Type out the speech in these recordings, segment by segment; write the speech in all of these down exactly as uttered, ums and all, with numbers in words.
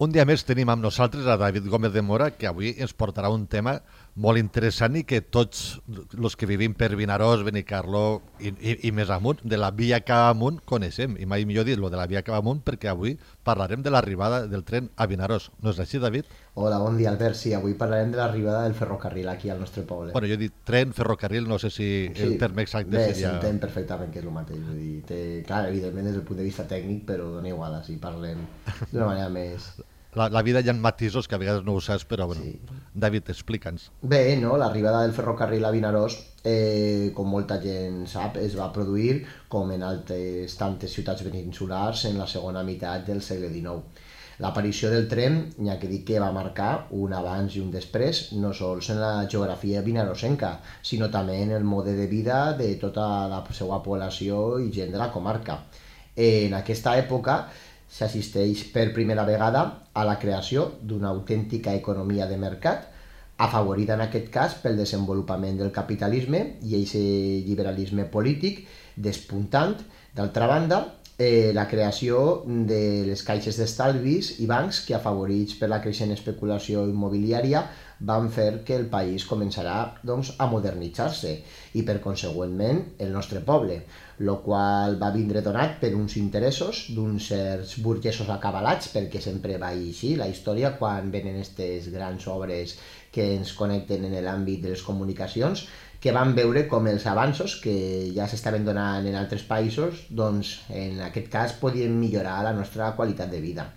Un dia més tenim amb nosaltres a David Gómez de Mora, que avui ens portarà un tema molt interessant i que tots els que vivim per Vinaròs, Benicarló i, i, i més amunt, de la via cap amunt, coneixem. I mai millor dit lo de la via cap amunt, perquè avui parlarem de l'arribada del tren a Vinaròs. No és així, David? Hola, bon dia, Albert. Sí, avui parlarem de l'arribada del ferrocarril aquí al nostre poble. Bueno, jo he dit tren, ferrocarril, no sé si Sí, el terme exacte bé, seria... s'entén perfectament que és el mateix. Vull dir, té, clar, evidentment des del punt de vista tècnic, però dona igual, així parlem d'una manera més... La, la vida hi ha matisos que a vegades no ho saps, però bueno, Sí. David, explica'ns. Bé, no? L'arribada del ferrocarril a Vinaròs, eh, com molta gent sap, es va produir, com en altres tantes ciutats peninsulars, en la segona meitat del segle dinou. L'aparició del tren, ja que dic que va marcar un abans i un després, no sols en la geografia vinarosenca, sinó també en el mode de vida de tota la seva població i gent de la comarca. En aquesta època s'assisteix per primera vegada a la creació d'una autèntica economia de mercat, afavorida en aquest cas pel desenvolupament del capitalisme i aquest liberalisme polític despuntant. D'altra banda, eh, la creació de les caixes d'estalvis i bancs que, afavorits per la creixent especulació immobiliària, van fer que el país començarà doncs, a modernitzar-se i, per consegüentment, el nostre poble, el qual va vindre donat per uns interessos d'uns certs burgesos acabalats, perquè sempre va així la història quan venen aquestes grans obres que ens connecten en l'àmbit de les comunicacions, que van veure com els avanços que ja s'estaven donant en altres països, doncs en aquest cas podien millorar la nostra qualitat de vida.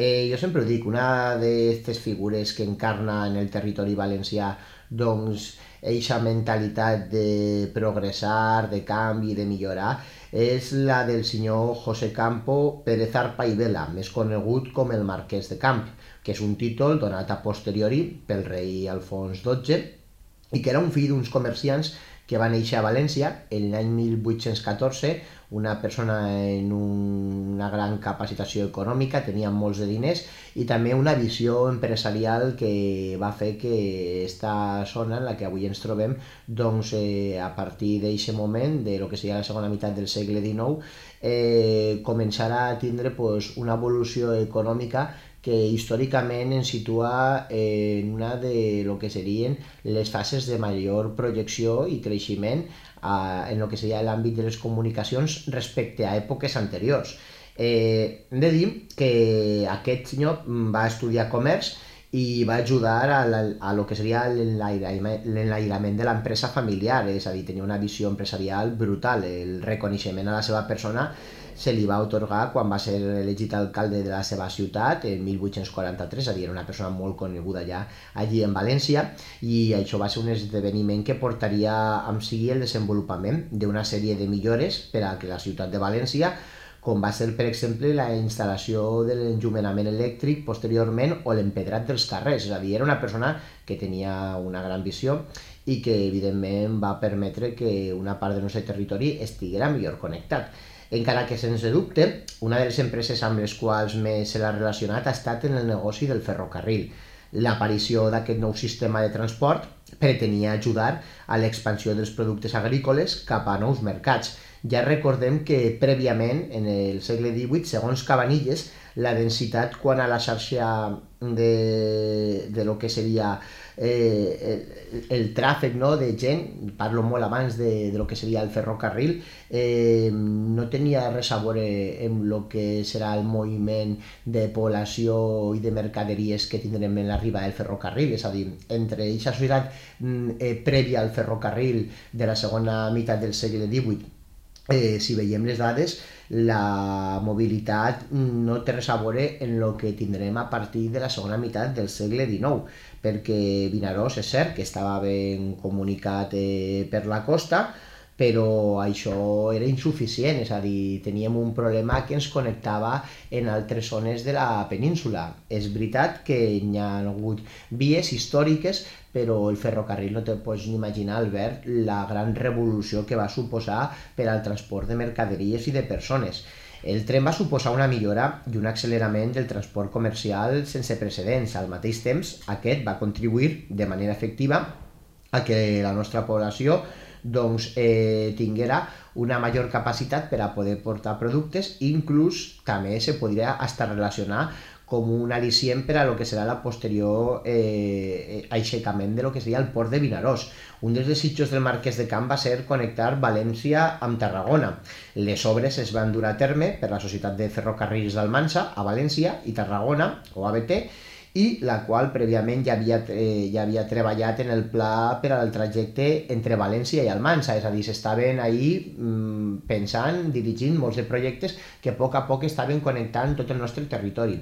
Eh, jo sempre ho dic, una d'aquestes figures que encarna en el territori valencià doncs eixa mentalitat de progressar, de canvi, de millorar, és la del senyor José Campo Pérez Arpa i Vela, més conegut com el Marquès de Camp, que és un títol donat a posteriori pel rei Alfons dotze i que era un fill d'uns comerciants que va néixer a València en l'any mil vuit-cents catorze, una persona en una gran capacitació econòmica, tenia molts de diners i també una visió empresarial que va fer que aquesta zona en la que avui ens trobem, doncs eh, a partir d'aquest moment, de lo que seria la segona meitat del segle dinou, eh, començarà a tindre pues, una evolució econòmica que històricament ens situa en una de lo que serien les fases de major projecció i creixement en el que seria l'àmbit de les comunicacions respecte a èpoques anteriors. Eh, hem de dir que aquest senyor va estudiar comerç i va ajudar a, la, a lo que seria l'enlairament de l'empresa familiar, és a dir, tenia una visió empresarial brutal. El reconeixement a la seva persona se li va atorgar quan va ser elegit alcalde de la seva ciutat en mil vuit-cents quaranta-tres, és a dir, era una persona molt coneguda ja allí en València, i això va ser un esdeveniment que portaria amb si el desenvolupament d'una sèrie de millores per a la ciutat de València, com va ser, per exemple, la instal·lació de l'enllumenament elèctric posteriorment o l'empedrat dels carrers. És a dir, era una persona que tenia una gran visió i que, evidentment, va permetre que una part del nostre territori estiguera millor connectat. Encara que, sense dubte, una de les empreses amb les quals més se l'ha relacionat ha estat en el negoci del ferrocarril. L'aparició d'aquest nou sistema de transport pretenia ajudar a l'expansió dels productes agrícoles cap a nous mercats. Ja recordem que prèviament, en el segle divuit, segons Cabanilles, la densitat quant a la xarxa de, de lo que seria eh, el, el tràfic, no, de gent, parlo molt abans de, de lo que seria el ferrocarril, eh, no tenia res a veure amb el que serà el moviment de població i de mercaderies que tindrem en l'arribada del ferrocarril. És a dir, entre aquesta societat eh, prèvia al ferrocarril de la segona meitat del segle divuit, Eh, si veiem les dades, la mobilitat no té res a veure en el que tindrem a partir de la segona meitat del segle dinou, perquè Vinaròs és cert que estava ben comunicat eh, per la costa, però això era insuficient, és a dir, teníem un problema que ens connectava en altres zones de la península. És veritat que hi ha hagut vies històriques, però el ferrocarril no te pots ni imaginar, Albert, la gran revolució que va suposar per al transport de mercaderies i de persones. El tren va suposar una millora i un accelerament del transport comercial sense precedents. Al mateix temps, aquest va contribuir de manera efectiva a que la nostra població doncs, eh, tinguera una major capacitat per a poder portar productes, inclús també se podria estar relacionar com un al·licient per a lo que serà la posterior eh, aixecament de lo que seria el port de Vinaròs. Un dels desitjos del Marquès de Camp va ser connectar València amb Tarragona. Les obres es van dur a terme per la Societat de Ferrocarrils d'Almansa a València i Tarragona, o A B T, i la qual prèviament ja havia, eh, ja havia treballat en el pla per al trajecte entre València i Almansa, és a dir, s'estaven ahí mm, pensant, dirigint molts de projectes que a poc a poc estaven connectant tot el nostre territori.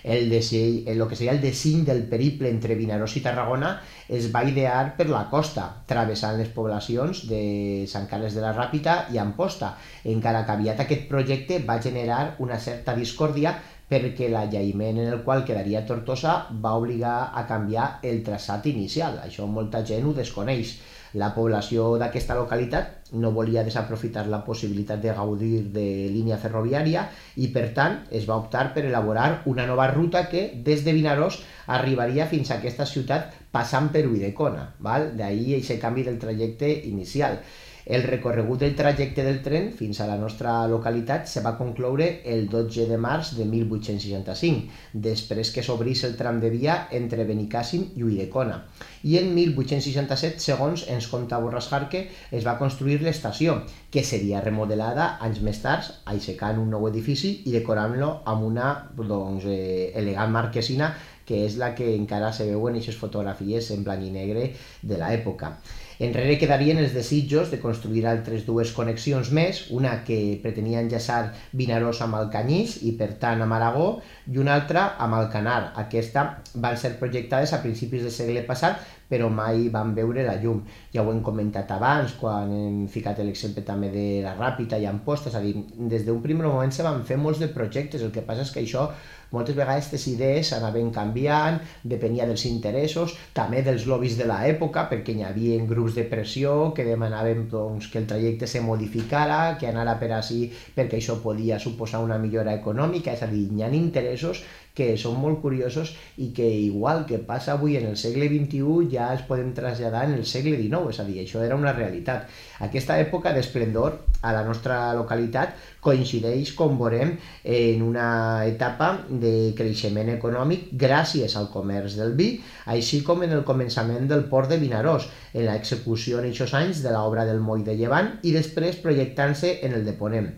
El, disseny, el que seria el disseny del periple entre Vinaròs i Tarragona es va idear per la costa, travessant les poblacions de Sant Carles de la Ràpita i Amposta, encara que aviat aquest projecte va generar una certa discòrdia perquè l'allaïment en el qual quedaria Tortosa va obligar a canviar el traçat inicial. Això molta gent ho desconeix. La població d'aquesta localitat no volia desaprofitar la possibilitat de gaudir de línia ferroviària i, per tant, es va optar per elaborar una nova ruta que, des de Vinaròs, arribaria fins a aquesta ciutat passant per Ulldecona. D'ahir aquest canvi del trajecte inicial. El recorregut del trajecte del tren fins a la nostra localitat se va concloure el dotze de març de mil vuit-cents seixanta-cinc, després que s'obrís el tram de via entre Benicàssim i Ulldecona. I en mil vuit-cents seixanta-set, segons ens conta Borràs Jarque, es va construir l'estació, que seria remodelada anys més tard, aixecant un nou edifici i decorant-lo amb una doncs, eh, elegant marquesina, que és la que encara se veuen en aquestes fotografies en blanc i negre de l'època. Enrere quedarien els desitjos de construir altres dues connexions més, una que pretenia enllaçar Vinaròs amb Alcanyís i per tant amb Aragó, i una altra amb Alcanar. Aquesta van ser projectades a principis del segle passat, però mai van veure la llum. Ja ho hem comentat abans, quan hem ficat l'exemple també de la Ràpita i Amposta, és a dir, des d'un primer moment se van fer molts de projectes, el que passa és que això moltes vegades aquestes idees anaven canviant, depenia dels interessos, també dels lobbies de l'època, perquè hi havia grups de pressió que demanaven doncs, que el trajecte se modificara, que anara per així perquè això podia suposar una millora econòmica, és a dir, hi ha interessos que són molt curiosos i que, igual que passa avui en el segle vint-i-u, ja es poden traslladar en el segle dinou, és a dir, això era una realitat. Aquesta època d'esplendor a la nostra localitat coincideix, com veurem, en una etapa de creixement econòmic gràcies al comerç del vi, així com en el començament del port de Vinaròs, en l'execució en aquests anys de l'obra del moll de Llevant i després projectant-se en el de Ponent.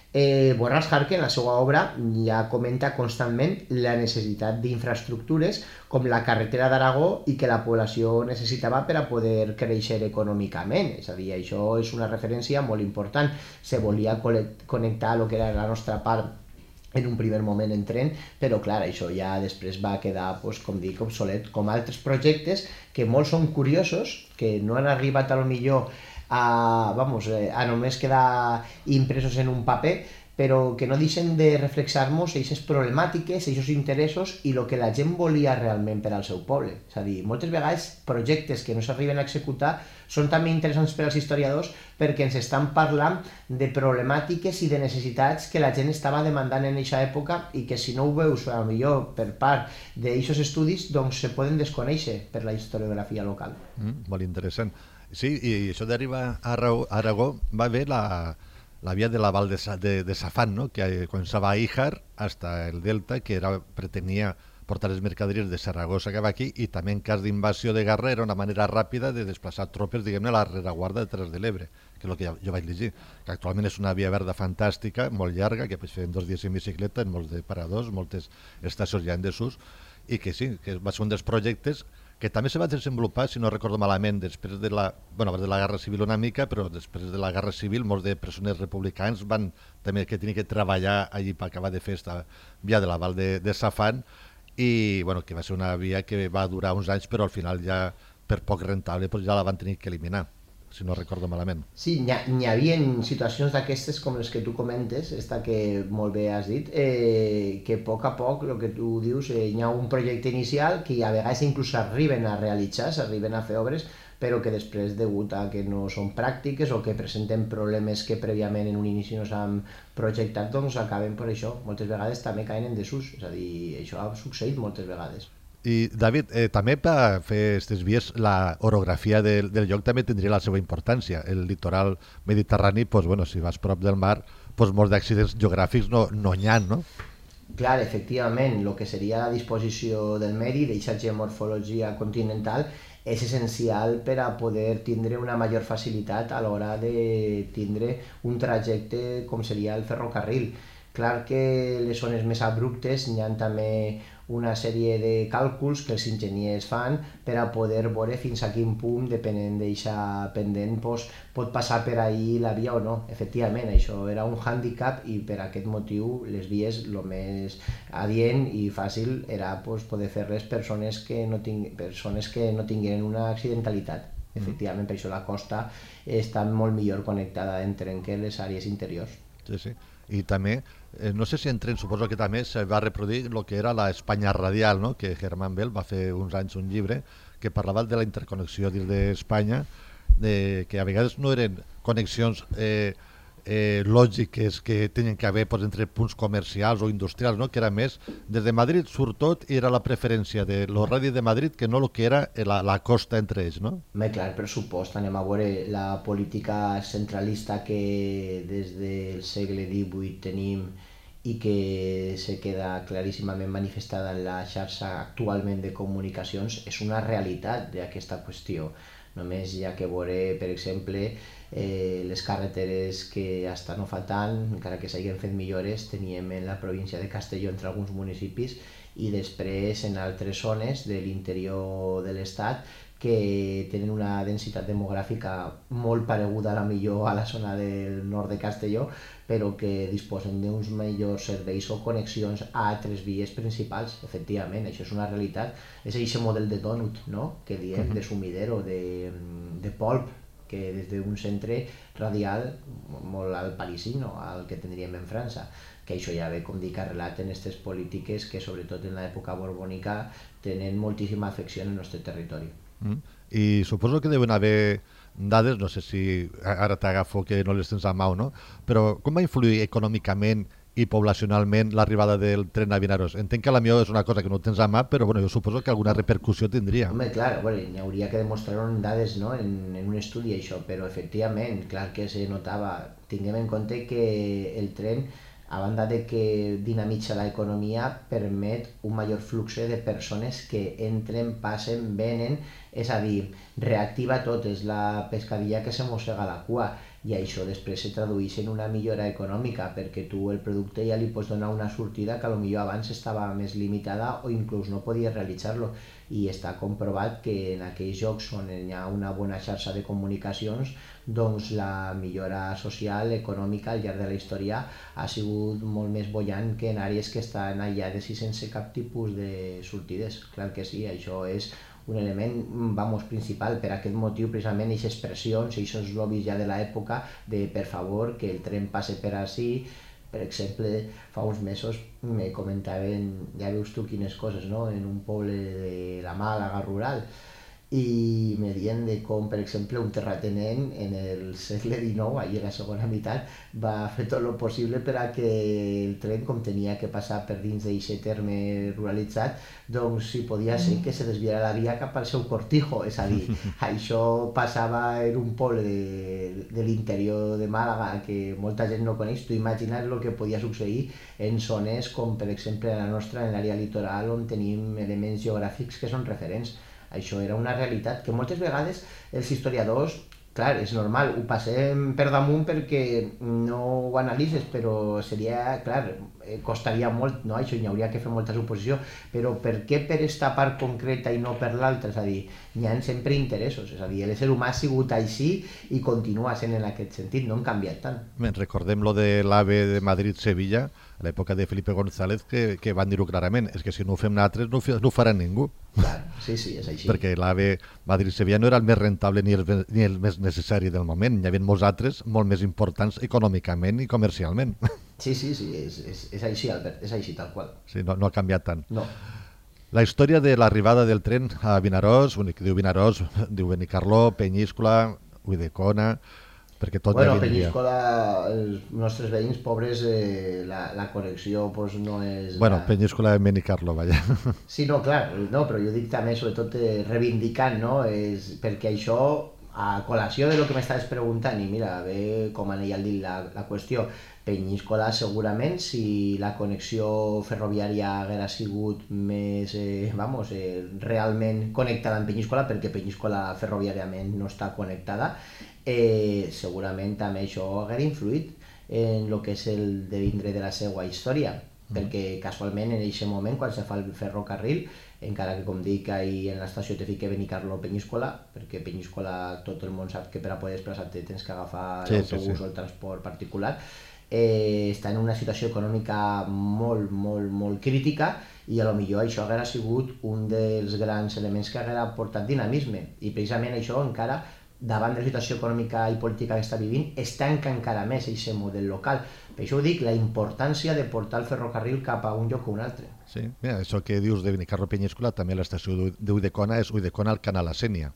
Eh, Borràs Jarque, en la seva obra, ja comenta constantment la necessitat d'infraestructures com la carretera d'Aragó i que la població necessitava per a poder créixer econòmicament. És a dir, això és una referència molt important. Se volia connectar el que era la nostra part en un primer moment en tren, però clar, això ja després va quedar, doncs, com dic, obsolet, com altres projectes que molts són curiosos, que no han arribat a lo millor a, vamos, a només quedar impresos en un paper, però que no deixen de reflexar-nos aquestes problemàtiques, aquests interessos i el que la gent volia realment per al seu poble. És a dir, moltes vegades projectes que no s'arriben a executar són també interessants per als historiadors perquè ens estan parlant de problemàtiques i de necessitats que la gent estava demandant en aquesta època i que si no ho veus, potser per part d'aquests estudis, doncs se poden desconèixer per la historiografia local. Mm, molt interessant. Sí, i això d'arribar a Aragó va haver la, la via de la Val de, de, de Safán, ¿no? Que començava a Híjar hasta el Delta, que era, pretenia portar les mercaderies de Saragossa cap aquí, i també en cas d'invasió de guerra era una manera ràpida de desplaçar tropes, diguem-ne, a la rereguarda de Terres de l'Ebre, que és el que jo, jo vaig llegir, que actualment és una via verda fantàstica, molt llarga, que pots fer en dos dies en bicicleta, en molts de paradors, moltes estacions ja en desús, i que sí, que va ser un dels projectes que també se va desenvolupar, si no recordo malament, després de la, bueno, de la Guerra Civil una mica, però després de la Guerra Civil molts de presoners republicans van també que tenir que treballar allí per acabar de fer esta via de la Val de, de Safán, i bueno, que va ser una via que va durar uns anys, però al final ja per poc rentable doncs ja la van tenir que eliminar, si no recordo malament. Sí, n'hi ha, havia situacions d'aquestes com les que tu comentes, esta que molt bé has dit, eh, que a poc a poc, el que tu dius, eh, hi ha un projecte inicial que a vegades inclús s'arriben a realitzar, s'arriben a fer obres, però que després, degut a que no són pràctiques o que presenten problemes que prèviament en un inici no s'han projectat, doncs acaben per això. Moltes vegades també caen en desús, és a dir, això ha succeït moltes vegades. I David, eh, també per fer aquestes vies la orografia del, del lloc també tindria la seva importància. El litoral mediterrani, pues, bueno, si vas prop del mar, pues, molts d'accidents geogràfics no, no n'hi ha, no? Clar, efectivament, el que seria la disposició del medi, d'aquesta geomorfologia continental, és essencial per a poder tindre una major facilitat a l'hora de tindre un trajecte com seria el ferrocarril. Clar que les zones més abruptes n'hi ha també una sèrie de càlculs que els enginyers fan per a poder veure fins a quin punt, depenent d'aquesta pendent, doncs, pot passar per ahí la via o no. Efectivament, això era un hàndicap i per aquest motiu les vies el més adient i fàcil era doncs, poder fer-les persones que no ting persones que no tingueren una accidentalitat. Efectivament, per això la costa està molt millor connectada entre les àrees interiors. Sí, sí. I també, eh, no sé si en tren, suposo que també se va reproduir el que era la Espanya radial, no? Que Hermann Bell va fer uns anys un llibre que parlava de la interconnexió dins d'Espanya, de, que a vegades no eren connexions eh, eh, lògiques que tenien que haver pues, entre punts comercials o industrials, no? Que era més, des de Madrid surt tot i era la preferència de los radis de Madrid que no el que era la, la costa entre ells, no? Bé, clar, per supost, anem a veure la política centralista que des del segle divuit tenim i que se queda claríssimament manifestada en la xarxa actualment de comunicacions, és una realitat d'aquesta qüestió. Només hi ha que veure, per exemple, eh, les carreteres que hasta no fa tant, encara que s'hagin fet millores, teníem en la província de Castelló entre alguns municipis i després en altres zones de l'interior de l'estat que tenen una densitat demogràfica molt pareguda a la millor a la zona del nord de Castelló, però que disposen d'uns millors serveis o connexions a altres vies principals. Efectivament, això és una realitat. És aquest model de dònut, no?, que diem, de sumidero, de, de polp, que des d'un centre radial molt al parisino, al que tindríem en França, que això ja ve, com dic, arrelat en aquestes polítiques que, sobretot en l'època borbònica, tenen moltíssima afecció en el nostre territori. Mm. I suposo que deuen haver dades, no sé si ara t'agafo que no les tens a mà o no, però com va influir econòmicament i poblacionalment l'arribada del tren a Vinaròs? Entenc que la millor és una cosa que no tens a mà, però bueno, jo suposo que alguna repercussió tindria. Home, clar, bueno, hi hauria que demostrar-ho en dades, no?, en, en un estudi això, però efectivament, clar que se notava. Tinguem en compte que el tren, a banda de que dinamitza l'economia, permet un major flux de persones que entren, passen, venen, és a dir, reactiva tot, és la pescadilla que se mossega la cua, i això després se tradueix en una millora econòmica, perquè tu el producte ja li pots donar una sortida que potser abans estava més limitada o inclús no podies realitzar-lo, i està comprovat que en aquells llocs on hi ha una bona xarxa de comunicacions, doncs la millora social, econòmica al llarg de la història ha sigut molt més bollant que en àrees que estan aïllades i sense cap tipus de sortides. Clar que sí, això és un element, vamos, principal. Per aquest motiu, precisament, aquestes pressions, aquests lobbies ja de l'època de, per favor, que el tren passe per ací. Per exemple, fa uns mesos me comentaven, ja veus tu quines coses, no?, en un poble de la Màlaga rural, i me diuen de com, per exemple, un terratinent en el segle dinou, ahir a la segona meitat, va fer tot el possible per a que el tren, com tenia que passar per dins d'aquest terme ruralitzat, doncs si podia ser que se desviara la via cap al seu cortijo. És a dir, això passava en un poble de, de l'interior de Màlaga que molta gent no coneix. Tu imagina't el que podia succeir en zones com, per exemple, la nostra, en l'àrea litoral, on tenim elements geogràfics que són referents. Això era una realitat que moltes vegades els historiadors, clar, és normal, ho passem per damunt perquè no ho analitzes, però seria, clar, costaria molt, no? Això hi hauria que fer molta suposició, però per què per esta part concreta i no per l'altra? És a dir, hi ha sempre interessos, és a dir, l'ésser humà ha sigut així i continua sent en aquest sentit, no han canviat tant. Bé, recordem lo de l'AVE de Madrid-Sevilla, a l'època de Felipe González, que, que van dir-ho clarament, és que si no ho fem nosaltres no, no ho farà ningú. Clar, sí, sí, és així. Perquè l'AVE Madrid-Sevilla no era el més rentable ni el, ni el més necessari del moment, hi havia molts altres molt més importants econòmicament i comercialment. Sí, sí, sí, és, és, és així, Albert, és així, tal qual. Sí, no, no ha canviat tant. No. La història de l'arribada del tren a Vinaròs, únic que diu Vinaròs, diu Benicarló, Penyíscola, Ulldecona, perquè tot bueno, ja vindria. Penyíscola, els nostres veïns pobres, eh, la, la connexió pues, no és... Bueno, la... Penyíscola i Benicarló, vaja. Sí, no, clar, no, però jo dic també, sobretot, eh, reivindicant, no?, és perquè això, a col·lació de lo que m'estaves preguntant, i mira, bé com anella al dit la, la qüestió, Penyíscola segurament, si la connexió ferroviària haguera sigut més, eh, vamos, eh, realment connectada amb Penyíscola, perquè Penyíscola ferroviàriament no està connectada, eh, segurament també això haguera influït en el que és el devindre de la seva història, mm. perquè casualment en aquest moment, quan se fa el ferrocarril, encara que com dic ahir en l'estació te fique Benicarló Penyíscola, perquè Penyíscola tot el món sap que per a poder desplaçar-te tens que agafar sí, l'autobús sí, sí. o el transport particular, eh, està en una situació econòmica molt, molt, molt crítica, i a lo millor això haguera sigut un dels grans elements que haguera portat dinamisme, i precisament això encara davant de la situació econòmica i política que està vivint, estanca encara més aquest model local. Per això ho dic, la importància de portar el ferrocarril cap a un lloc o un altre. Sí, mira, això que dius de Benicarló Penyíscola, també l'estació d'Ulldecona és Ulldecona al Canal Sénia.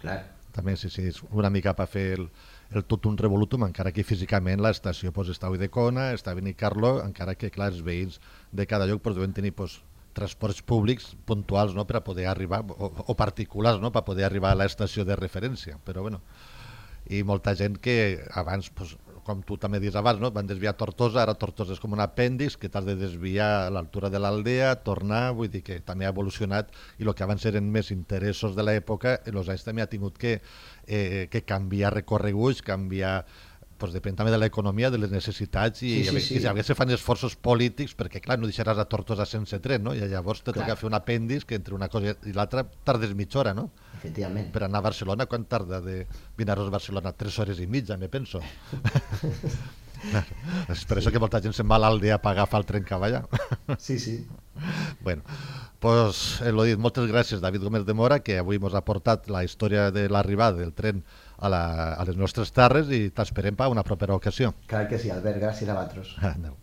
Clar. També, sí, sí, és una mica per fer el, el tot un revolutum, encara que físicament l'estació pues, està a Ulldecona, està a Benicarló, encara que, clar, els veïns de cada lloc pues, deuen tenir pues, transports públics puntuals, no?, per a poder arribar, o, o particulars, no?, per a poder arribar a l'estació de referència, però bueno, i molta gent que abans, pues, com tu també dius abans, no?, van desviar a Tortosa, ara Tortosa és com un apèndix que t'has de desviar a l'altura de l'aldea, tornar, vull dir que també ha evolucionat, i el que abans eren més interessos de l'època, en els anys també ha tingut que, eh, que canviar recorreguts, canviar, pues depèn també de l'economia, de les necessitats, i, sí, sí, sí. i a vegades se fan esforços polítics, perquè clar, no deixaràs a Tortosa sense tren, no? I llavors te toca fer un apèndix que entre una cosa i l'altra tardes mitja hora, no? Efectivament. Per anar a Barcelona, quan tarda de Vinaròs a Barcelona? Tres hores i mitja, me penso. És per sí. això que molta gent se'n va a l'aldea per agafar el tren que va allà. Sí, sí. Bueno, pues, eh, l'ho dit, moltes gràcies, David Gómez de Mora, que avui ens ha portat la història de l'arribada del tren a, la, a les nostres terres, i t'esperem per una propera ocasió. Clar que sí, Albert, gràcies a vosaltres. Adéu.